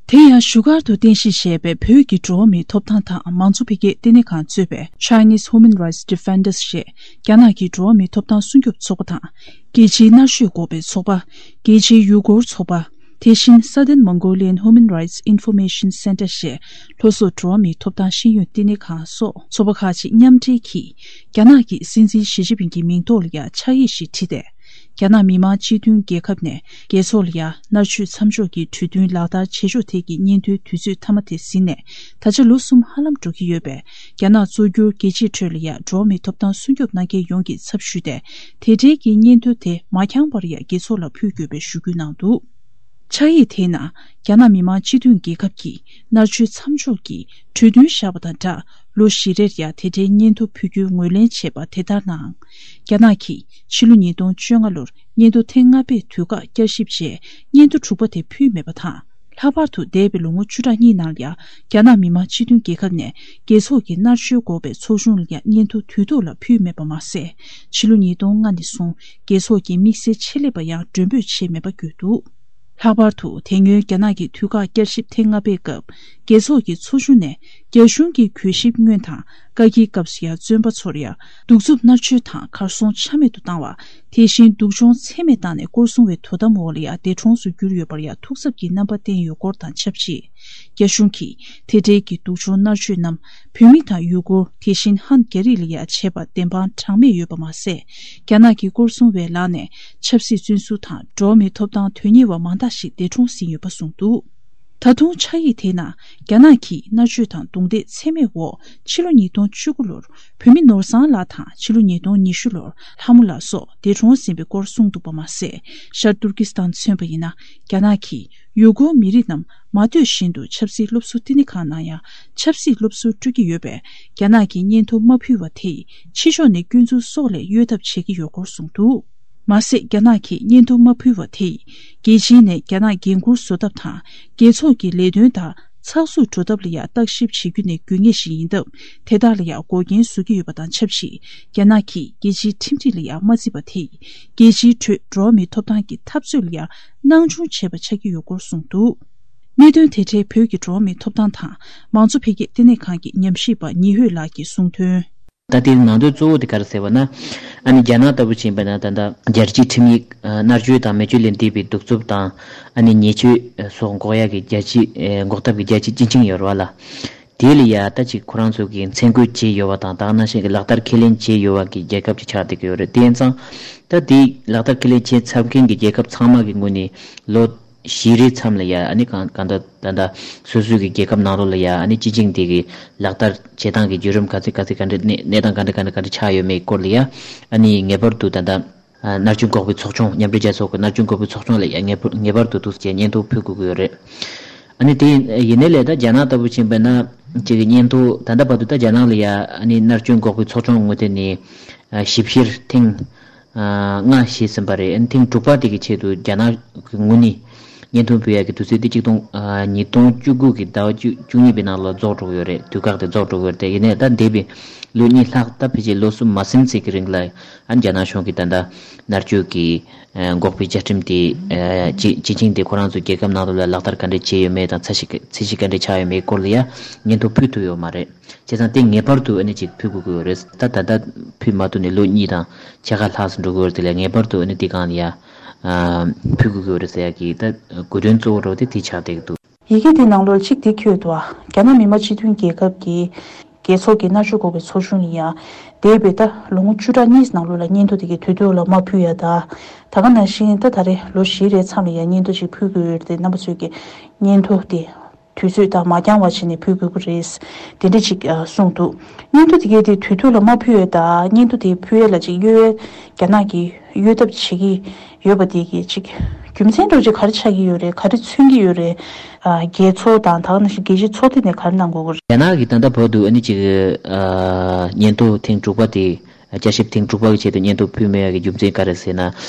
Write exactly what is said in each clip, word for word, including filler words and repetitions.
དེ་ཡང་བཞུགས་སྒར་དུ་རྟེན་གཞི་བྱས་པའི་བོད་ཀྱི་འགྲོ་བ་མིའི་ཐོབ་ཐང་དང་མང་གཙོ་འཕེལ་རྒྱས་ལྟེ་གནས་ཁང་གཙོས་པའི་Chinese Human Rights Defenders ཞེས་རྒྱ་ནག་གི་འགྲོ་བ་མིའི་ཐོབ་ཐང་སྲུང་སྐྱོབ་ཚོགས་པ་དང་། རྒྱལ་སྤྱིའི་མནར་གཅོད་འགོག་པའི་ཚོགས་པ། རྒྱལ་སྤྱིའི་ཡུ་གུར་ཚོགས་པ། དེ་བཞིན་Southern Mongolian Human Rights Information Center ཞེས་ལྷོ་སོག་འགྲོ་བ་མིའི་ཐོབ་ཐང་ཤེས་ཡོན་ལྟེ་གནས་ཁང་སོགས་ཚོགས་པ་ཁག་ཅིག་མཉམ་འབྲེལ་གྱིས་རྒྱ་ནག་གི་སྲིད་འཛིན་ཞི་ཅིན་ཕིང་གི་མིང་ཐོག་ལ་ཡང་ཕྱག་ཡིག་ཞིག་བྲིས་ཏེ། རྒྱ་ནག་མི་དམངས་སྤྱི་མཐུན་རྒྱལ་ཁབ་ནས་རྒྱལ་ཚོགས་ལ་ཡང་མནར་གཅོད་མཚམས་འཇོག་གི་གྲོས་མཐུན་ལག་བསྟར་བྱེད་ཕྱོགས་ཐད་ཀྱི་སྙན་ཐོའི་དུས་ཚོད་མཐའ་མ་དེ་ཟིན་ནས་ད་ཆ་ལོ་གསུམ་ཧ་ལམ་འགྲོ་གི་ཡོད་པས། རྒྱ་ནག་གཙོ་གྱུར་རྒྱལ་སྤྱིའི་ཁྲོད་ལ་ཡང་འགྲོ་བ་མིའི་ཐོབ་ཐང་སྲུང་སྐྱོབ་གནང་མཁན་ཡོངས་ཀྱི་ཚབ་ཞུས་ཏེ། དེ་འབྲེལ་གྱི་སྙན་ཐོ་དེ་མ་འཁྱངས་པར་ཡང་རྒྱལ་ཚོགས་ལ་ཕུལ་དགོས་པའི་ཞུ་སྐུལ་གནང་འདུག། ཕྱག་ཡིག་དེའི་ནང་རྒྱ་ནག་མི་དམངས་སྤྱི་མཐུན་རྒྱལ་ཁབ་ཀྱིས་མནར་གཅོད་མཚམས་འཇོག་གི་གྲོས་མཐུན་བཞག་པ་དང་སྦྲགས། ལོ་བཞི་རེར་ཡང་དེ་འབྲེལ་སྙན་ཐོ་ཕུལ་རྒྱུའི་ངོས་ལེན་བྱས་པ་དེ་ལྟར་ནའང་། རྒྱ་ནག་གིས་ཕྱི་ལོ་ཉིས་སྟོང་བཅོ་ལྔ་ལོར་སྙན་ཐོ་ཐེངས་ལྔ་པའི་དུས་བཀག་བསྐྱར་ཞིབ་རྗེས་སྙན་ཐོ་དྲུག་པ་དེ་ཕུལ་མེད་པ་དང་། ལྷག་པར་དུ་འདས་པའི་ལོ་ངོ་བཅུ་ཕྲག་གཉིས་ནང་ལ་ཡང་རྒྱ་ནག་མི་དམངས་སྤྱི་མཐུན་རྒྱལ་ཁབ་ནས་རྒྱལ་ཚོགས་ཀྱི་མནར་གཅོད་འགོག་པའི་ཚོགས་ཆུང་ལ་ཡང་སྙན་ཐོ་དུས་ཐོག་ལ་ཕུལ་མེད་པ་མ་ཟད། ཕྱི་ལོ་ཉིས་སྟོང་ལྔ་ནས་བཟུང་རྒྱལ་ཚོགས་ཀྱི་དམིགས་བསལ་ཆེད་ལས་པ་ཡང་མགྲོན་འབོད་བྱས་མེད་པ་བརྗོད་འདུག། ལྷག་པར་དུ་དེ་སྔོན་རྒྱ་ནག་གི་དུས་བཀག་བསྐྱར་ཞིབ་ཐེངས་ལྔ་པའི་སྐབས། རྒྱལ་ཚོགས་ཀྱི་ཚོགས་ཆུང་ནས་རྒྱ་གཞུང་གི་གུས་ཞིབ་སྔོན་དང་བཀའ་འཁྱེར་སྐབས་སུ་ཡང་བཙོན་པ་ཚོར་ཡང་གདུག་རྩུབ་མནར་གཅོད་དང་གར་སོང་ཆ་མེད་དུ་བཏང་བ། དེ་བཞིན་སྡུག་སྦྱོང་ཚད་མེད་བཏང་ནས་སྐོར་སྲུང་བའི་དོ་དམ་འོག་ལ་ཡང་འདས་གྲོངས་སུ་གྱུར་ཡོད་པར་ཡང་ཐུགས་འཚབ་ཀྱི་རྣམ་པ་བསྟན་ཡོད་སྐོར་དང་ཆབས་ཅིག། རྒྱ་གཞུང་གིས་དེ་འབྲེལ་གྱི་སྡུག་སྦྱོང་མནར་གཅོད་རྣམས་བོད་མི་དང་ཡུ་གུར། དེ་བཞིན་ཧན་རྒྱ་རིགས་ལ་ཡང་བྱས་པ་བདེན་དཔང་གྲངས་མེད་ཡོད་པ་མ་ཟད། རྒྱ་ནག་གི་སྐོར་སྲུང་བའི་ལག་ནས་ཆབ་སྲིད་བཙོན་ཟུར་དང་འགྲོ་བ་མིའི་ཐོབ་ཐང་དོན་གཉེར་བ་མང་དག་ཞིག་འདས་གྲོངས་ཟིན་ཡོད་པ་གསུངས་འདུག། ད་དུང་ཕྱག་ཡིག་དེའི་ནང་རྒྱ་ནག་གིས་མནར་གཅོད་དང་རྡུང་རྡེག་ཚད་མེད་འོག་ཕྱི་ལོ་ཉིས་སྟོང་བཅུ་དགུ་ལོར་བོད་མི་ནོར་བཟང་ལགས་དང་ཕྱི་ལོ་ཉིས་སྟོང་ཉི་ཤུ་ལོར་ལྷ་མོ་ལགས་སོགས་འདས་གྲོངས་ཟིན་པའི་སྐོར་གསུངས་འདུག་པ་མ་ཟད། ཤར་ཏུར་ཀི་སི་ཐན་མཚོན་པ་ཡིན་ན་རྒྱ་ནག་གིས་ཡུ་གུར་མི་རིགས་རྣམས་མ་འདོད་བཞིན་དུ་ཆབ་སྲིད་སློབ་ཟུར་བསྟི་གནས་ཁང་ནང་ཡང་ཆབ་སྲིད་སློབ་ཟུར་སྤྲོད་ཀྱི་ཡོད་པས། རྒྱ་ནག་གིས་སྙན་ཐོ་མ་ཕུལ་བ་དེས་ཕྱི་ཕྱོགས་ནས་སྐྱོན་འཛུགས་སོགས་ལས་གཡོལ་ཐབས་བྱེད་ཀྱི་ཡོད་སྐོར་གསུངས་འདུག། མ་ཟད། རྒྱ་ནག་གིས་སྙན་ཐོ་མ་ཕུལ་བ་དེས་རྒྱལ་སྤྱིའི་ནས་རྒྱ་ནག་འགན་འཁུར་བཟོ་ཐབས་དང་རྒྱལ་ཚོགས་ཀྱི་ལས་དོན་དག་ཚགས་ཚུད་འགྲོ་ཐབས་ལ་ཡང་བརྟག་ཞིབ་བྱེད་རྒྱུ་ནས་དགོས་ངེས་ཤིག་ཡིན་སྟབས། དེ་དག་ལ་ཡང་འགོག་རྐྱེན་བཟོ་གི་ཡོད་པ་དང་ཆབས་ཅིག། རྒྱ་ནག་གིས་རྒྱལ་སྤྱིའི་ཁྲིམས་སྒྲིག་ལ་ཡང་མ་བརྩིས་པ་དེས་རྒྱལ་སྤྱིའི་ཁྲོད་འགྲོ་བ་མིའི་ཐོབ་ཐང་གི་འཐབ་རྩོད་ལ་ཡང་སྣང་ཆུང་བྱས་པ་ཆགས་ཀྱི་ཡོད་སྐོར་གསུངས་འདུག། གནད་དོན་དེ་འབྲེལ་བོད་ཀྱི་འགྲོ་བ་མིའི་ཐོབ་ཐང་དང་མང་གཙོ་འཕེལ་རྒྱས་ལྟེ་གནས་ཁང་གི་ཉམས་ཞིབ་པ་ཉི་ཧོད་ལགས་ཀྱིས་གསུངས་དོན། ད་དེའི་ནང་དོན་གཙོ་བོ་དེ་ག་རེ་ཟེར་བ་ན། ཨ་ནི་རྒྱ་ནག་ལྟ་བུ་ཕྱིན་པ་ན་ད་ལྟ་རྒྱལ་སྤྱིའི་ཁྲིམས་ཡིག་མནར་གཅོད་དང་མེ་མཆོད་ལས་འདས་པའི་གདུག་རྩུབ་དང་ཨ་ནི་ཉེས་སྤྱོད་སོགས་འགོག་ཡག་གི་རྒྱལ་སྤྱི་འགོག་ཐབས་ཀྱི་རྒྱལ་སྤྱིའི་སྤྱི་ཆིངས་ཡོད་རེད་བ་ལ། དེ་ལ་ཡ་ད་ཅིག་ཁོ་རང་ཚོ་གིས་མཚན་བཀོད་བྱས་ཡོད་པ་དང་དེ་ནང་བཞིན་གྱི་ལག་བསྟར་ཁས་ལེན་བྱས་ཡོད་པ་གི་རྒྱལ་ཁབ་ཅིག་ཆགས་བསྡད་ཀྱི་ཡོད་རེད། དེ་ཡིན་ཙང་ད་དེ་ལག་བསྟར་ཁས་ལེན་བྱས་ཚར་མཁན་གྱི་རྒྱལ་ཁབ་ཚང་མ་གི་ངོས་ནས་ལོ་བཞི་རེའི་མཚམས་ལ་ཡ་ཨ་ནི་གང་གང་ལྟར་ད་ལྟ་སོ་སོའི་གི་རྒྱལ་ཁབ་ནང་ལོགས་ལ་ཡ་ཨ་ནི་སྤྱི་ཆིངས་དེ་གི་ལག་བསྟར་བྱེད་སྟངས་ཀྱི་བརྒྱུད་རིམ་ག་ཚོད་ག་ཚོད་ག་འདྲ་གནས་གནས་སྟངས་ག་འདྲ་ག་འདྲ་ག་འདྲ་ཆགས་ཡོད་མེད་སྐོར་ལ་ཡ་ཨ་ནི་ངེས་པར་དུ་ད་ལྟ་མནར་གཅོད་འགོག་པའི་ཚོགས་ཆུང་མཉམ་འབྲེལ་རྒྱལ་ཚོགས་ཀྱི་མནར་གཅོད་འགོག་པའི་ཚོགས་ཆུང་ལ་ཡ་ངེས་པར་ངེས་པར་དུ་འདུག་སེ་བྱས་སྙན་ཐོ་ཕུལ་དགོས་ཀྱི་ཡོད་རེད། ཨ་ནི་དེ་ཡིན་ནའི་ལས་ད་རྒྱ་ནག་ལྟ་བུ་ཕྱིན་པ་ན་ཅིག་གི་སྙན་ཐོ་ད་ལྟ་བར་དུ་ད་རྒྱ་ནག་ལ་ཡ་ཨ་ནི་མནར་གཅོད་འགོག་པའི་ཚོགས་ཆུང་ངོས་ཐད་ནས་ཞིབ་བཤེར་ཐེངས་ལྔ་བྱས་ཟིན་པ་རེད། ཨ་ནི་ཐེངས་དྲུག་པ་དེ་གི་ཆེད་དུ་རྒྱ་ནག་གི་ངོས་ནས་སྙན་ཐོ་ཕུལ་ཡག་གི་དུས་ཚོད་དེ་ཆིག་སྟོང་ཉིས་སྟོང་བཅུ་དགུ་གི་ཟླ་བ་བཅུ་བཅུ་གཉིས་པའི་ནང་ལ་རྫོགས་འགྲོ་གི་ཡོད་རེད། དུས་བཀག་དེ་རྫོགས་འགྲོ་གི་ཡོད་རེད། དེ་ཡིན་ནའི་ད་འདས་པའི་ལོ་གཉིས་ལྷག་ད་ཕལ་ཆེར་ལོ་གསུམ་མ་ཟིན་ཙམ་གྱི་རིང་ལ་ཨ་ནི་རྒྱ་ནག་གཞུང་གིས་ད་ལྟ་མནར་གཅོད་ཀྱི་འགོག་པའི་བཅའ་ཁྲིམས་དེ་སྤྱི་སྤྱི་ཆིངས་དེ་ཁོ་རང་ཚོའི་རྒྱལ་ཁབ་ནང་ལོགས་ལ་ལག་བསྟར་ག་འདྲས་བྱས་ཡོད་མེད་དང་ཚད་གཞི་ཚད་གཞི་ག་འདྲས་ཆགས་ཡོད་མེད་སྐོར་ལ་ཡ་སྙན་ཐོ་ཕུལ་ཐུབ་ཡོད་མ་རེད། བྱས་ཙང་དེ་ངེས་པར་དུ་ཨ་ནི་ཅིག་ཕུལ་དགོས་ཀྱི་ཡོད་རེད། ད་ད་ལྟ་ཕུལ་མ་ཐུབ་ནས་ལོ་གཉིས་དང་ཕྱེད་ཀ་ལྷག་ཙམ་འགྲོ་གི་ཡོད་རེད། དེ་ལ་ངེས་པར་དུ་ཨ་ནི་དེ་སྒང་ལ་ཡ་ཕུལ་དགོས་ཀྱི་ཡོད་རེད་ཟེར་ཡ་གི་ད་དགོས་དོན་གཙོ་བོ་རེད་པ། དེ་དེ་ཆགས་བསྡད་ཀྱི་འདུག། ཡི་གེ་དེའི་ནང་ལོགས་གཅིག་དེ་འཁོད་འདུག་པ། རྒྱ་ནག་མི་དམངས་སྤྱི་མཐུན་རྒྱལ་ཁབ་ཀྱི་རྒྱལ་ཚོགས་ཀྱི་མནར་གཅོད་འགོག་པའི་ཚོགས་ཆུང་ལ་ཡ་འདས་པའི་ད་ལོ་ངོ་བཅུ་ཕྲག་གཉིས་ནང་ལོགས་ལ་སྙན་ཐོ་དེ་གའི་དུས་ཐོག་ལ་མ་ཕུལ་ཡ་ད། ད་ག་ནང་བཞིན་ད་ད་རེས་ལོ་བཞི་རེའི་མཚམས་ལ་ཡ་སྙན་ཐོ་ཅིག་ཕུལ་དགོས་ཡོད་རེད་དེ། རྣམ་པ་ཚོས་ཀྱི་སྙན་ཐོ་དེ་དུས་ཚོད་དང་མ་འགྱངས་པ་བྱས་ནས་ཕུལ་དགོས་ཀྱི་རེད། དེ་འདྲ་ཅིག་ཨ་གསུངས་འདུག། སྙན་ཐོ་དེ་གའི་དེ་དུས་ཐོག་ལ་མ་ཕུལ་ཡོད་ད། སྙན་ཐོ་དེ་ཕུལ་ཡས་ལ་ཅིག་གཡོལ་ཡས་རྒྱ་ནག་གིས་གཡོལ་ཐབས་བྱེད་ཀྱི་ཡོད་པ་དེ་གི་ཅིག་རྒྱུ་མཚན་འདྲ་ཅིག་ག་རེ་ཆགས་ཀྱི་ཡོད་རེད། ག་རེ་མཚོན་གྱི་ཡོད་རེད། ཨ་རྒྱལ་ཚོགས་དང་ད་ག་ནང་བཞིན་རྒྱལ་སྤྱིའི་ཚོགས་སྡེ་ནས་ག་རེ་གནང་དགོས་ཀྱི་རེད། རྒྱ་ནག་གིས་ད་ལྟ་བར་དུ་ཨ་ནི་ཅིག་ཨ་སྙན་ཐོ་ཐེངས་དྲུག་པ་དེ་བསྐྱར་ཞིབ་ཐེངས་དྲུག་པ་གི་ཆེད་དུ་སྙན་ཐོ་ཕུལ་མེད་ཡ་གི་རྒྱུ་མཚན་ག་རེ་ཟེར་ན།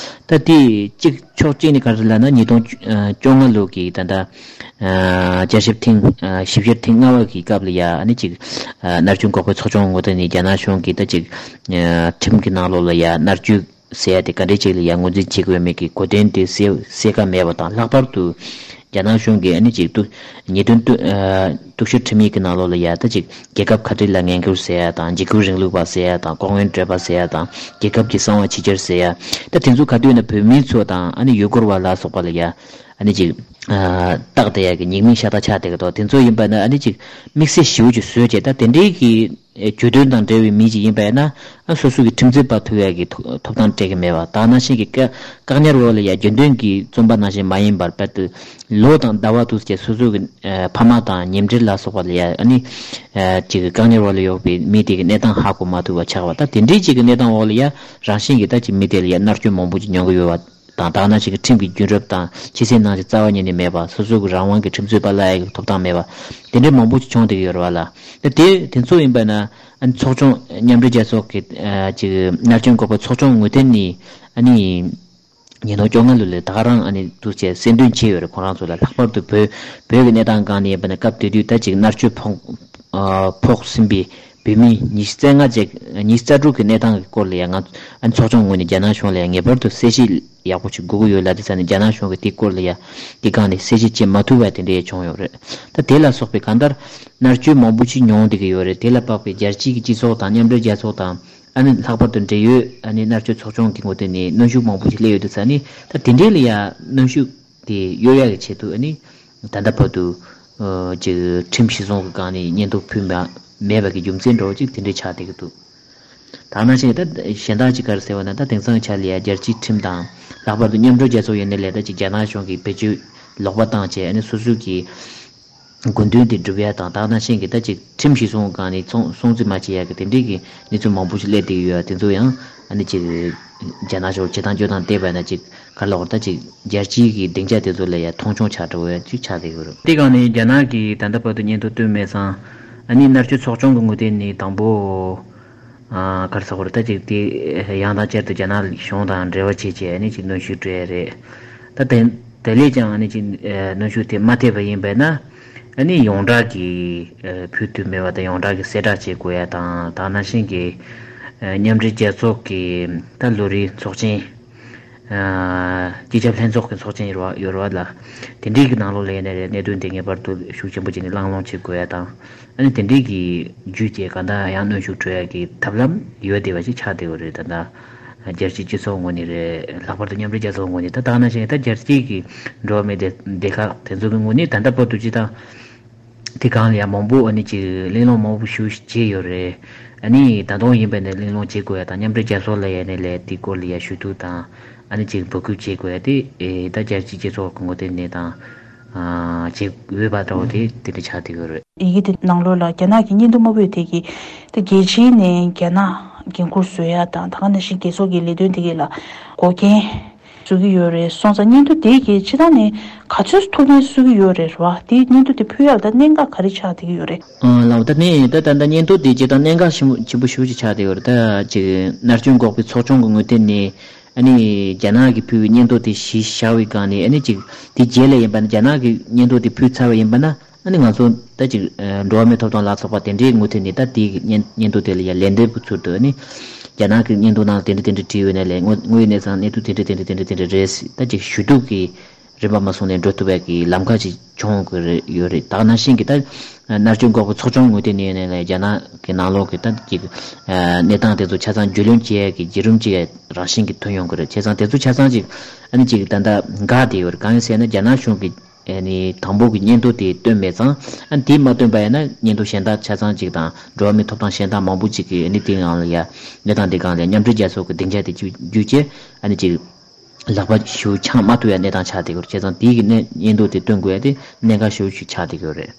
ད་དེ་གཅིག་ཕྱོགས་གཅིག་ནས་ག་རེ་ལབ་ན་ཉིས་སྟོང་བཅོ་ལྔ་ལོ་གི་ད་ལྟ་ཨ་བསྐྱར་ཞིབ་ཐེངས་ཨ་ཞིབ་བཤེར་ཐེངས་ལྔ་པ་གི་སྐབས་ལ་ཡ་ཨ་ནི་ཅིག་ཨ་མནར་གཅོད་འགོག་པའི་ཚོགས་ཆུང་ངོས་ཐད་ནས་རྒྱ་ནག་གཞུང་གིས་ད་ཅིག་ཨ་ཁྲིམས་ཀྱི་ནང་ལོགས་ལ་ཡ་མནར་གཅོད་ཟེར་ཡ་དེ་ག་འདྲས་ཅིག་ལ་ཡ་ངོས་འཛིན་བྱེད་དགོས་མེད་ཀྱི་གོ་དོན་དེ་གསལ་གསལ་ཁ་མེད་པ་དང་། ལྷག་པར་དུ་ རྒྱ་ནག་གཞུང་གིས་ཨ་ནི་ཅིག་གཏུག་ཉེས་དོན་གཏུག་ཨ་གཏུག་བཤེར་ཁྲིམས་ཡིག་གི་ནང་ལོགས་ལ་ཡ་ད་ཅིག་རྒྱལ་ཁབ་ཁ་བྲལ་ལ་ངན་སྐུལ་ཟེར་ཡ་དང་འཇིགས་སྐུལ་རིང་ལུགས་པ་ཟེར་ཡ་དང་ལྐོག་རྔན་སྤྲོད་པ་ཟེར་ཡ་དང་རྒྱལ་ཁབ་ཀྱི་གསང་བ་ཕྱི་འགྱུར་ཟེར་ཡ། ད་དེ་ཚོ་ག་དུས་ན་བོད་མི་ཚོ་དང་ཨ་ནི་ཡུལ་སྐོར་བ་ལ་སོགས་པ་ལ་ཡ་ཨ་ནི་ཅིག་ཨ་བཏགས་བསྡད་ཡ་གི་ཉེས་མིང་ཤ་སྟག་ཆགས་བསྡད་ཀྱི་འདུག་དེ་ཚོ་ཡིན་པ་ན་ཨ་ནི་ཅིག་དམིགས་བསལ་ཞེ་པོ་ཅིག་བཟོས་བྱས། ད་དེ་འདྲའི་གི་གྱོད་དོན་དང་འབྲེལ་བའི་མི་ཅིག་ཡིན་པ་ཡིན་ན་ཨ་སོ་སོ་གི་ཁྲིམས་རྩོད་པ་ཐུག་ཡ་གི་ཐོབ་ཐང་སྤྲད་ཀྱི་མེད་པ། ད་ནང་བཞིན་གྱི་བཀག་བཀག་ཉར་འོག་ལ་ཡ་རྒྱུན་ལྡན་གྱི་བཙོན་པ་ནང་བཞིན་མ་ཡིན་པར་དཔེར་ན་ལོ་དང་ཟླ་བ་དུས་ཀྱི་སོ་སོ་གི་ཨ་ཕ་མ་དང་ཉེ་འབྲེལ་ལ་སོགས་པ་ལ་ཡ་ཨ་ནི་ཨ་ཅིག་བཀག་ཉར་འོག་ལ་ཡོད་པའི་མི་དེ་གི་གནས་སྟངས་ཧ་གོ་མ་ཐུབ་པ་ཆགས་པ། ད་དེ་འདྲའི་ཅིག་གི་གནས་སྟངས་འོག་ལ་ཡ་རང་བཞིན་གྱི་ད་ཅིག་མི་དེ་ལ་ཡ་མནར་གཅོད་མང་པོ་ཅིག་མྱོང་གི་ཡོད་པ་དང་། ད་ནང་བཞིན་གྱི་ཁྲིམས་ཀྱི་རྒྱུན་རབས་དང་ཆོས་སྲིད་ནང་བཞིན་རྩ་བ་ཉིད་ནས་མེད་པ། སོ་སོ་གི་རང་དབང་གི་ཁྲིམས་རྩོད་པ་གླ་ཡ་གི་ཐོབ་ཐང་མེད་པ། དེ་འདྲའི་མང་པོ་ཅིག་བྱུང་བསྡད་ཀྱི་ཡོད་རེད་བ་ལ། ད་དེ་དེ་ཚོ་ཡིན་པ་ན་ཨ་ནི་ཚོགས་ཆུང་མཉམ་འབྲེལ་རྒྱལ་ཚོགས་ཀྱི་ཨ་ཅིག་མནར་གཅོད་འགོག་པའི་ཚོགས་ཆུང་ངོས་ཐད་ནས་ཨ་ནི་ཉིས་སྟོང་བཅོ་ལྔ་ལོ་ལ་ད་ག་རང་ཨ་ནི་འདུག་བྱས་གསལ་འདོན་བྱས་ཡོད་རེད། ཁོང་རང་ཚོ་ལ་ལྷག་པར་དུ་བོད་བོད་ཀྱི་གནས་སྟངས་སྒང་ནས་ཡིན་པ་ན་སྐབས་དེ་དུས་ད་ཅིག་མནར་གཅོད་ཕོག་ཨ་ཕོག་ཟིན་པའི་བོད་མི་ཉི་ཤུ་རྩ་ལྔ་བཅས་ཉི་ཤུ་རྩ་དྲུག་གི་གནས་སྟངས་ཀྱི་སྐོར་ལ་ཡང་ང་ཨ་ནི་ཚོགས་ཆུང་ངོས་ནས་རྒྱ་ནག་གཞུང་ལ་ཡང་ངེས་པར་དུ་གསལ་བཤད་ཡག་པོ་ཞིག་དགོས་ཀྱི་ཡོད་ལབ་དུས་ཙ་ནས་རྒྱ་ནག་གཞུང་གིས་དེའི་སྐོར་ལ་ཡང་དེ་སྒང་ནས་གསལ་བཤད་བྱེད་མ་ཐུབ་པ་དེ་འདྲ་ཡང་བྱུང་ཡོད་རེད། ད་དེ་ལ་སོགས་པའི་གང་ལྟར་མནར་གཅོད་མང་པོ་ཞིག་མྱོང་བསྡད་ཀྱི་ཡོད་རེད། དེ་ལ་དཔག་པའི་རྒྱལ་སྤྱིའི་སྤྱི་ཚོགས་དང་མཉམ་འབྲེལ་རྒྱལ་ཚོགས་དང་ཨ་ནི་ལྷག་པར་དུ་འབྲེལ་ཡོད་ཨ་ནི་མནར་གཅོད་ཚོགས་ཆུང་གི་ངོས་ཐད་ནས་གནོན་ཤུགས་མང་པོ་ཞིག་སླེབས་ཡོད་དུས་ཙ་ནས། ད་དེ་འདྲའི་ལ་ཡང་གནོན་ཤུགས་དེ་གཡོལ་ཡག་གི་ཆེད་དུ་ཨ་ནི་ད་ལྟ་བར་དུ་ཨ་ཅིག་ཁྲིམས་གཞི་བཟུང་གི་སྒང་ནས་སྙན་ཐོ་ཕུལ་མ་མེད་པ་གི་རྒྱུ་མཚན་འདྲ་བོ་ཅིག་དེ་འདྲའི་ཆགས་བསྡད་ཀྱི་འདུག་ད་ནང་བཞིན་ད་གཞན་དག་ཅིག་ག་རེ་ཟེར་བ་ན། ད་དེང་སང་ཆ་ལ་ཡ་རྒྱལ་སྤྱིའི་ཁྲིམས་དང་ལྷག་པར་དུ་མཉམ་འབྲེལ་རྒྱལ་ཚོགས་ཡིན་ནའི་ལས་ད་ཅིག་རྒྱ་ནག་གཞུང་གིས་བེད་སྤྱོད་ལོག་པ་བཏང་བྱས་ཨ་ནི་སོ་སོའི་གི་དགོས་འདུན་དེ་སྒྲུབ་ཡ་དང་། ད་ནང་བཞིན་གྱི་ད་ཅིག་ཁྲིམས་གཞི་བཟུང་སྒང་ནས་ཚོང་སྲུང་བརྩི་མ་བྱེད་ཡ་གི་དེ་འདྲའི་གི་གནས་ཚུལ་མང་པོ་ཞིག་སླེབས་བསྡད་ཀྱི་ཡོད། དེ་ཚོ་ཡང་ཨ་ནི་ཅིག་རྒྱ་ནག་གཞུང་བྱེད་སྟངས་སྤྱོད་སྟངས་བལྟས་པ་ན་ཅིག་ག་རེ་ལབ་དགོས་རེད། ད་ཅིག་རྒྱལ་སྤྱིའི་གི་སྡིངས་ཆ་དེ་ཚོ་ལ་ཡ་མཐོང་ཆུང་ཆགས་འགྲོ་བ་ཅིག་ཆགས་བསྡད་ཡོད་རེད། དེ་སྒང་ནས་རྒྱ་ནག་གིས་ད་ལྟ་བར་དུ་སྙན་ཐོ་བཏོན་མེད་ཙང་ཨ་ནི་མནར་གཅོད་ཚོགས་ཆུང་གི་ངོས་ཐད་ནས་དང་པོ་ཨ་ག་རེ་ཟེར་དགོས་རེད། ད་ཅིག་དེ་ཡང་དང་བསྐྱར་དུ་རྒྱ་ནག་གཞུང་དང་འབྲེལ་བ་བྱས་བྱས་ཨ་ནི་ཅིག་གནོན་ཤུགས་སྤྲད་ཡ་རེད། ད་དེ་དེ་ལས་ཀྱང་ཨ་ནི་ཅིག་ཨ་གནོན་ཤུགས་དེ་མ་ཐེབས་པ་ཡིན་པས་ན་ཨ་ནི་ཡོངས་གྲགས་ཀྱི་ཨ་ཕུལ་ཐུབ་མེད་པ་དང་ཡོངས་གྲགས་ཀྱི་གསལ་བསྒྲགས་བྱེད་དགོས་ཡ་དང་། ད་ནང་བཞིན་གྱི་ཨ་མཉམ་འབྲེལ་རྒྱལ་ཚོགས་ཀྱི་ད་ལོ་རེའི་ཚོགས་ཆེན་ཨ་སྤྱི་ཁྱབ་ལྷན་ཚོགས་ཀྱི་ཚོགས་ཆེན་ཡོད་རེད་བ་ཡོད་རེད་བ་ལ། དེ་འདྲའི་གི་ནང་ལོགས་ལ་ཡིན་ནའི་རེད། གནད་དོན་དེ་ངེས་པར་དུ་ཤུགས་ཆེན་པོ་བྱས་ནས་གླེང་སློང་བྱེད་དགོས་ཡ་དང་། ཨ་ནི་དེ་འདྲའི་གི་བརྒྱུད་བྱས་གང་ལྟར་ཡང་གནོན་ཤུགས་སྤྲོད་ཡ་གི་ཐབས་ལམ་ཡོད་བསྡད་པ་ཞིག་ཆགས་བསྡད་ཡོད་རེད། ད་ལྟ་རྒྱལ་སྤྱིའི་སྤྱི་ཚོགས་ངོས་ནས་རེད། ལྷག་པར་དུ་མཉམ་འབྲེལ་རྒྱལ་ཚོགས་ངོས་ནས། ད་ད་ནང་བཞིན་ད་རྒྱལ་སྤྱིའི་གི་འགྲོ་བ་མིའི་སྡེ་སྡེ་ཁག་དེ་ཚོ་གི་ངོས་ནས་ད་ལྟ་བར་དུ་སྤྱི་བཏང་དེ་སྒང་ལ་ཡང་མང་པོ་ཨ་ནི་ཅིག་གླེང་སློང་མང་པོ་ཞིག་བྱས་ཡོད་རེད། ཨ་ནི་ད་དུང་ཡིན་པ་ནས་གླེང་སློང་བྱེད་དགོས་ཡ་དང་། མཉམ་འབྲེལ་རྒྱལ་ཚོགས་ལ་ཡ་ནས་ལས་དེ་སྐོར་ལ་ཡ་ཞུ་གཏུག་དང་ཨ་ནི་ཅིག་འབོད་སྐུལ་བྱེད་དགོས་ཡ་དེ་ཨེ་ད་རྒྱལ་སྤྱིའི་སྤྱི་ཚོགས་ཀྱི་ངོས་ཐད་ནས་དང་ཨ་བྱེད་འོས་པ་འདྲ་བོ་དེ་དེ་འདྲ་ཆགས་བསྡད་ཡོད་རེད། ཡི་གེ་དེ་ནང་ལོགས་ལ་རྒྱ་ནག་གི་སྙན་ཐོ་དམར་པོ་དེ་གིས་ད་རྒྱལ་སྤྱིའི་ནས་རྒྱ་ནག་འགན་འཁུར་བཟོ་ཡ་དང་། ད་ག་ནང་བཞིན་རྒྱལ་ཚོགས་ཀྱི་ལས་དོན་དེ་གའི་ལ་འགོག་རྐྱེན་བཟོ་གི་ཡོད་རེད་སོང་ཙང་། སྙན་ཐོ་དེ་གིས་སྤྱི་བཏང་ནས་ག་ཚོད་ཐུགས་ཕན་གསོས་ཀྱི་ཡོད་རེད་བ། དེ་སྙན་ཐོ་དེ་ཕུལ་ཡག་ལ་ད་གནད་འགག་ག་རེ་ཆགས་བསྡད་ཀྱི་ཡོད་རེད། ཨ་ལགས། ད་ནི་ད་ད་ད་སྙན་ཐོ་དེ་སྤྱི་བཏང་གནད་འགག་ཆེན་པོ་ཆེན་པོ་ཞེ་པོ་ཅིག་ཆགས་བསྡད་ཡོད་རེད། ད་ཅིག་མནར་གཅོད་འགོག་པའི་ཚོགས་ཆུང་གི་ངོས་ཐད་ནས་ཨ་ནི་རྒྱ་ནག་གིས་ཕུལ་བའི་སྙན་ཐོ་དེ་གཞི་བཞག་པའི་སྒང་ནས་ཨ་ནི་ཅིག་དེ་རྗེས་ལ་ཡིན་པ་ན་རྒྱ་ནག་གིས་སྙན་ཐོ་དེ་ཕུལ་ཚར་བ་ཡིན་པ་ན། ཨ་ནི་ང་ཚོ་ད་ཅིག་ཨ་འགྲོ་བ་མིའི་ཐོབ་ཐང་ལ་སོགས་པ་དེ་འདྲའི་ངོས་ཐད་ནས་ད་དེའི་སྙན་སྙན་ཐོ་དེ་ལ་ཡ་ལན་འདེབས་ཀྱི་ཚུལ་དུ་ཨ་ནི་རྒྱ་ནག་གི་སྙན་ཐོ་ནང་ལ་དེ་འདྲ་དེ་འདྲ་བྲིས་ཡོད་ནའི་ལས་དངོས་དངོས་ཡོད་གནས་སྟངས་གནས་ཚུལ་དེ་འདྲ་དེ་འདྲ་དེ་འདྲ་དེ་འདྲ་རེད་ཟེར་ད་ཅིག་ཞུ་གཏུག་གི་རིམ་པ་མ་སོང་ནས་འགྲོ་ཐུབ་པའི་གི་ལམ་ཁ་ཅིག་བྱུང་དགོས་རེད་ཡོད་རེད། ད་ག་ནང་བཞིན་གྱི་ད་མནར་གཅོད་འགོག་པའི་ཚོགས་ཆུང་ངོས་ཐད་ནས་ཡིན་ནའི་ལས་རྒྱ་ནག་གི་ནང་ལོགས་ཀྱི་ད་ཅིག་ཨ་གནས་སྟངས་དེ་ཚོ་ཆ་ཚང་རྒྱུས་ལོན་བྱེད་ཡས་ཀྱི་བརྒྱུད་རིམ་ཅིག་རང་བཞིན་གྱི་ཐོན་ཡོང་གི་རེད། བྱས་ཙང་དེ་ཚོ་ཆ་ཚང་ཅིག་ཨ་ནི་ཅིག་ད་ལྟ་འགག་བསྡད་ཡོད་རེད། གང་ཡིན་ཟེར་ན་རྒྱ་ནག་གཞུང་གི་ཨ་ནི་དང་པོ་གི་སྙན་ཐོ་དེ་བཏོན་མེད་ཙང་། ཨ་ནི་དེ་མ་བཏོན་པ་ཡིན་ན་སྙན་ཐོ་གཞན་དག་ཆ་ཚང་ཅིག་དང་འགྲོ་བ་མིའི་ཐོབ་ཐང་གཞན་དག་མང་པོ་ཅིག་གིས་ཨ་ནི་དེའི་ནང་ལ་ཡ་གནས་སྟངས་དེ་སྒང་ལ་མཉམ་འབྲེལ་རྒྱལ་ཚོགས་ཀྱི་སྡིངས་ཆ་དེ་བརྒྱུད་བརྒྱུད་བྱས་ཨ་ནི་ཅིག་ལག་པ་ཞུ་འཆང་མ་ཐུབ་ཡ་གནས་སྟངས་ཆགས་བསྡད་ཡོད་རེད། བྱས་ཙང་དེའི་གི་གནས་སྙན་ཐོ་དེ་བཏོན་དགོས་ཡ་དེ་གནད་འགག་ཞེ་པོ་ཞིག་ཆགས་བསྡད་ཡོད་རེད།